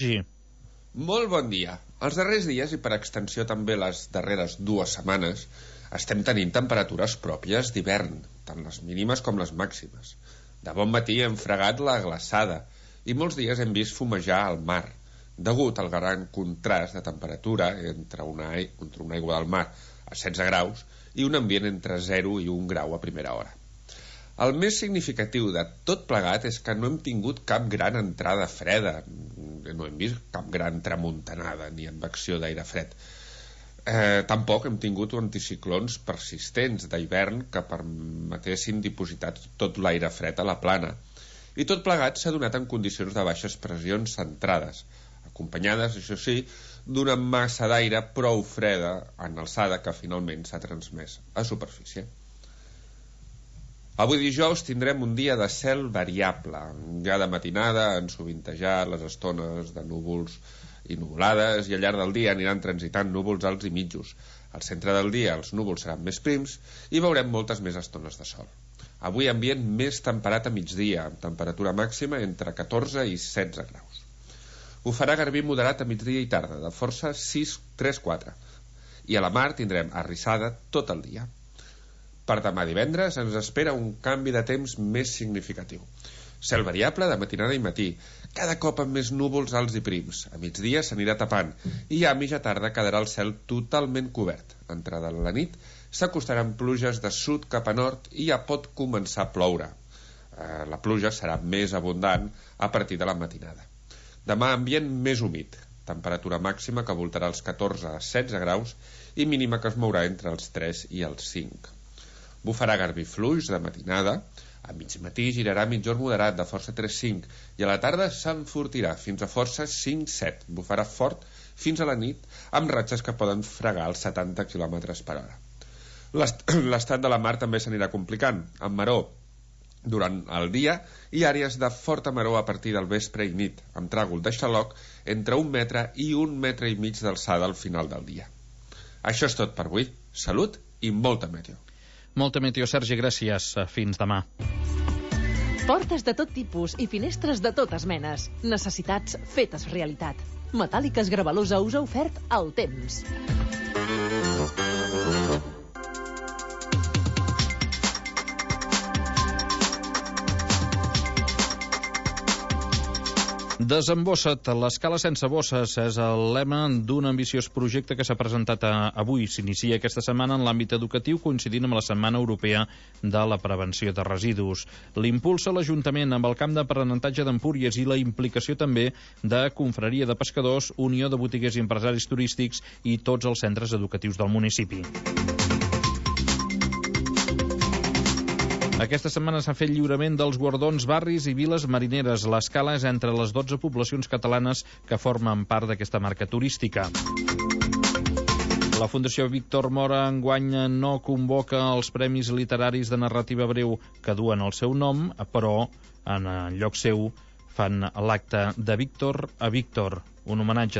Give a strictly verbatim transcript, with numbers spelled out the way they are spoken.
Sí. Molt bon dia. Els darrers dies, i per extensió també les darreres dues setmanes, estem tenint temperatures pròpies d'hivern, tant les mínimes com les màximes. De bon matí hem fregat la glaçada i molts dies hem vist fumejar el mar, degut al gran contrast de temperatura entre una, entre una aigua del mar a setze graus i un ambient entre zero i un grau a primera hora. El més significatiu de tot plegat és que no hem tingut cap gran entrada freda, no hem vist cap gran tramuntanada ni advecció d'aire fred. Eh, tampoc hem tingut anticiclons persistents d'hivern que permetessin dipositar tot l'aire fred a la plana. I tot plegat s'ha donat en condicions de baixes pressions centrades, acompanyades, això sí, d'una massa d'aire prou freda en alçada que finalment s'ha transmès a superfície. Avui dijous tindrem un dia de cel variable. Ja de matinada han sovintejat les estones de núvols i nuvolades i al llarg del dia aniran transitant núvols alts i mitjos. Al centre del dia els núvols seran més prims i veurem moltes més estones de sol. Avui ambient més temperat a migdia, amb temperatura màxima entre catorze i setze graus. Ho farà garbí moderat a migdia i tarda, de força sis tres quatre. I a la mar tindrem arrissada tot el dia. Per demà divendres ens espera un canvi de temps més significatiu. Cel variable de matinada i matí, cada cop amb més núvols alts i prims. A migdia s'anirà tapant i ja a mitja tarda quedarà el cel totalment cobert. Entrada la nit s'acostaran pluges de sud cap a nord i ja pot començar a ploure. Eh, la pluja serà més abundant a partir de la matinada. Demà ambient més humit, temperatura màxima que voltarà els catorze a setze graus i mínima que es mourà entre els tres i els cinc. Bufarà garbí fluix de matinada, a mig matí girarà mitjor moderat de força tres cinc i a la tarda s'enfortirà fins a força cinc set. Bufarà fort fins a la nit amb ratxes que poden fregar els setanta quilòmetres per hora. L'estat de la mar també s'anirà complicant, amb maró durant el dia i àrees de forta maró a partir del vespre i nit, amb tràgol de xaloc entre un metre i un metre i mig d'alçada al final del dia. Això és tot per avui. Salut i molta meteo. Molta meteo, Sergi, gràcies. Fins demà. Portes de tot tipus i finestres de totes menes. Necessitats fetes realitat. Metàl·liques Gravalusa us ha ofert el temps. Desembossa't, l'escala sense bosses és el lema d'un ambiciós projecte que s'ha presentat avui. S'inicia aquesta setmana en l'àmbit educatiu, coincidint amb la Setmana Europea de la Prevenció de Residus. L'impulsa l'Ajuntament amb el camp d'aprenentatge d'Empúries i la implicació també de Confraria de Pescadors, Unió de Botiguers i Empresaris Turístics i tots els centres educatius del municipi. Aquesta setmana s'ha fet lliurament dels guardons barris i viles marineres. L'escala és entre les dotze poblacions catalanes que formen part d'aquesta marca turística. La Fundació Víctor Mora enguany no convoca els Premis Literaris de Narrativa Breu que duen el seu nom, però en lloc seu fan l'acte de Víctor a Víctor, un homenatge